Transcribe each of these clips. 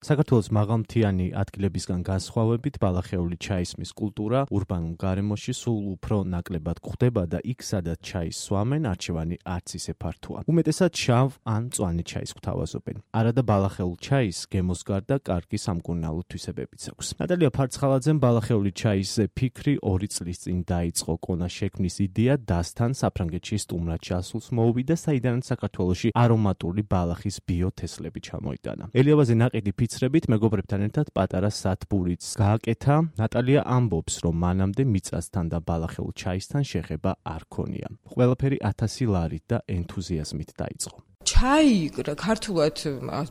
საქართველოს მაღალმთიანი ადგილებისგან განსხვავებით, ბალახეული ჩაისმის კულტურა ურბანულ გარემოში სულ უფრო ნაკლებად გვხვდება და იქ, სადაც ჩაის სვამენ, არჩევანი არც ისე ფართოა. უმეტესად შავ ან მწვანე ჩაის გვთავაზობენ. არადა ბალახეულ ჩაის გემოს გარდა კარგი სამკურნალო თვისებებიც აქვს. ნატალია ფარცხალაძემ ბალახეული ჩაისზე ფიქრი 2 წლის წინ დაიწყო. კონას შექმნის იდეა დასთან საფრანგეთში სტუმრად ჩასულს მოუვიდა, საიდანაც საქართველოში არომატული ბალახის ბიოთესლები ჩამოიტანა. ელიავაზე ნაყიდი ფიცრებით მეგობრებთან ერთად პატარა სათბურიც გააკეთა. ნატალია ამბობს, რომ მანამდე მიწასთან და ბალახეულ ჩაისთან შეხება არ ქონია. ყველაფერი 1000 ლარით და ენთუზიაზმით დაიწყო. ჩაი ქართულად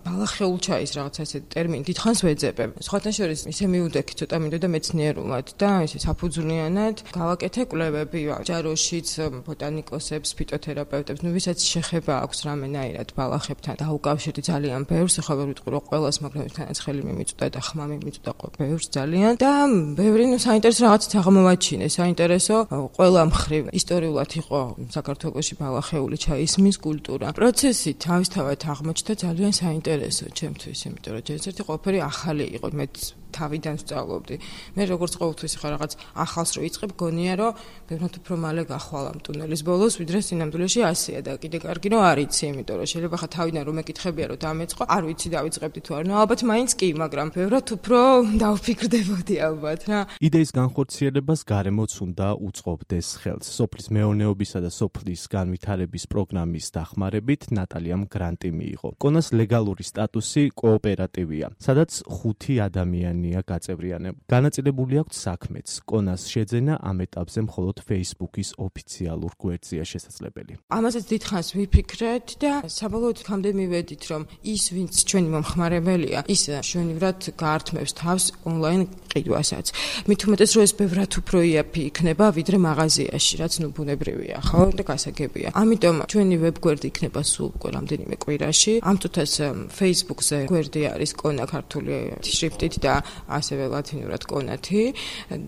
ბალახეულ ჩაის რაღაცა ესეთი ტერმინი დიდხანს ვეძებებ. სხვათა შორის ისე მივდექი ცოტა მინდოდა მეცნიერულად და ისე საფუძვლიანად გავაკეთე კვლევები ჯაროშიც ბოტანიკოსებს, ფიტოთერაპევტებს, ვისაც შეხება აქვს რამენაირად ბალახებთან დაუკავშირდი ძალიან ბევრს, ახლა ვერ ვიტყვი რომ ყველას, მაგრამ ერთანაც ხელი მიმიწვდა და ხმა მიმიწვდა ბევრს ძალიან და ბევრი საინტერესო რაღაცით აღმოვაჩინე. საინტერესო ყველა მხრივ ისტორიულად იყო საქართველოში ბალახეული ჩაისმის კულტურა. პროცესი თავისთავად აღმოჩნდა ძალიან საინტერესო ჩემთვის, იმიტომ რომ ჯერჯერობით ყველაფერი ახალი იყო, მე თავიდან ვსწავლობდი. მე როგორც ყოველთვის ხარ რაღაც ახალს რო იწყებ, გონია რომ ბევრად უფრო მალე გახვალ ამ ტუნელის ბოლოს, ვიდრე სინამდვილეში ასეა და კიდე კარგი რომ არ იცი, იმიტომ რომ შეიძლება ხა თავიდან რომ მეკითხებია რომ დამეწყო, არ ვიცი დავიწყებდი თუ არ. ნუ ალბათ მაინც კი, მაგრამ ბევრად უფრო დავფიქრდებოდი ალბათ რა. იდეის განხორციელებას გარემოც უნდა უწყობდეს ხელს. სოფლის მეურნეობისა და სოფლის განვითარების პროგრამის დახმარებით ნატალიამ გრანტი მიიღო. კონას ლეგალური სტატუსი კოოპერატივია, სადაც 5 ადამიანია გაწევრიანებული. განაწილებული აქვს საქმეც. კონას შეძენა ამ ეტაპზე მხოლოდ Facebook-ის ოფიციალურ გვერდზეა შესაძლებელი. ამასაც დიდხანს ვიფიქრეთ და საბოლოოდ იქამდე მივედით, რომ ის, ვინც ჩვენი მომხმარებელია, ის შვენივრად გაართმევს თავს ონლაინ ყიდვასაც. მით უმეტეს, რომ ეს ბევრად უფრო იაფი იქნება, ვიდრე მაღაზიაში, რაც ნუ ბუნებრივია, ხო და გასაგებია. ამიტომ ჩვენი ვებგვერდი იქნება სულ უკვე რამდენიმე კვირაში. ამ წუთას Facebook-ზე გვერდი არის კონა ქართული შრიფტით და ასევე ლათინურად კონათი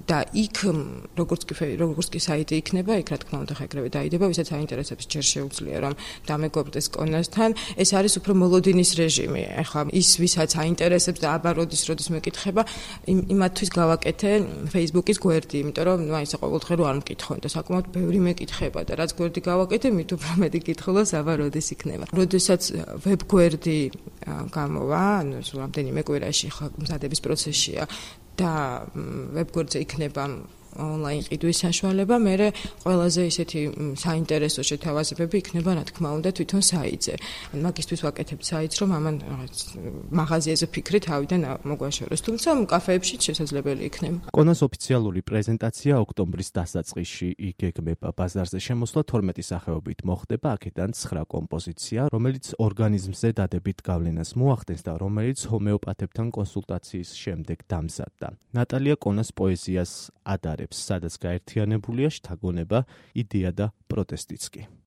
და იქ როგორც კი საიტი იქნება, იქ რა თქმა უნდა ხეკრები დაიდება, ვისაც აინტერესებს ჯერ შეუძლია რომ დამეგობრდეს კონასთან. ეს არის უფრო მოლოდინის რეჟიმი. ახლა ის ვისაც აინტერესებს და აბა როდის მეკითხება, იმათთვის გავაკეთე Facebook-ის გვერდი, იმიტომ რომ ნუ ისე ყოველდღე რო არ მკითხონ და საკმაოდ ბევრი მეკითხება და რაც გვერდი გავაკეთე, მით უფრო მეტი კითხულობს აბა როდის იქნება. როდესაც ვებგვერდი გამოვა, ანუ რამდენიმე კვირაში ხა მზადების პროცესია და ვებგვერდზე იქნება ონლაინ ყიდვის საშუალება, მე ყველაზე ისეთი საინტერესო შეთავაზებები იქნება, რა თქმა უნდა, თვითონ საიტზე. მაგისთვის ვაკეთებ საიტს, რომ ამან მაღაზიაზე ფიქრი თავიდან მოგვაშოროს, თუმცა კაფეებში შესაძლებელი იქნება. კონას ოფიციალური პრეზენტაცია ოქტომბრის დასაწყისში იგეგმება. ბაზარზე შემოსვლა 12 სახეობით მოხდება, აქედან 9 კომპოზიცია, რომელიც ორგანიზმზე დადებით გავლენას მოახდენს და რომელიც ჰომეოპათებთან კონსულტაციის შემდეგ დამზადდა. ნატალია კონას პოეზიას ადარებს, სადაც გაერთიანებულია შთაგონება, იდეა და პროტესტიც კი.